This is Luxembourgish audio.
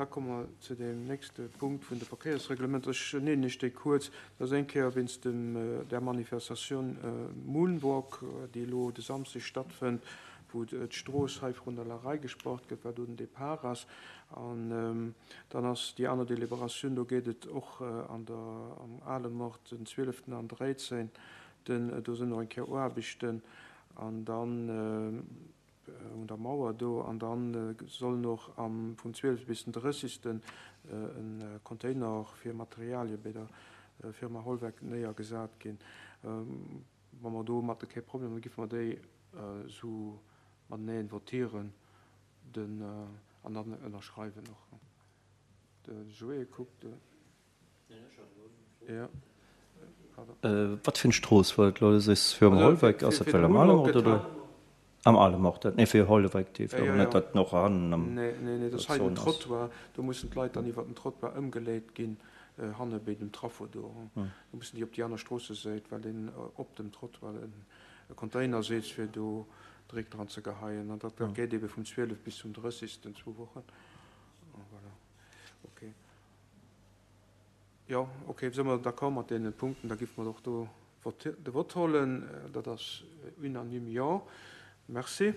Da komme mer zu deem nächste Punkt vun de Verkéiersreglementer. Ech nennen Iech déi kuerz. Dat ass eng Kéier wéinst dem, der Manifestatioun Moonwalk, déi elo de Samsdeg stattfënnt, wou d'Strooss hei vrun der Larei gespaart gëtt, wat do den Depart ass. An dann ass déi aner Deliberatioun, do geet et och an der, am Alemort den zwieleften an dréizénten, do sinn och eng Kéier Aarbechten. An dann un der Mauer do, an dann sollen och am vum 12 bis den 30 e Container fir Materialie bei der Firma Holweck néiergesat ginn. Wa mer domatter kee Problem hunn, giffe mer déi esou mateneen votieren den an dann ënnerschreiwen och. De Joé kuckt. Wat fir eng Strooss war dat elo? Du sees fir am Holweck, ass dat well am Alemort oder? Am Alemort, dat, nee fir Holweck, déi fir net dat och hannen am. Nee, nee, nee, dat ass hei den Trottoir, do mussen d'Leit dann iwwer den Trottoir ëmgeleet ginn, hanne béi dem Traffo do. Do mussen déi op déi aner Stroossesäit, well deen op dem Trottoir e Container sitzt, fir do Dréck dran ze geheien. An dat geet ebe vum 12 bis zum 30, zwou Wochen. Voilà, okay. Jo, ok, si mer d'accord mat deene Punkten, da géife mer och do de Vott hollen. Dat ass unanime, jo. Merci.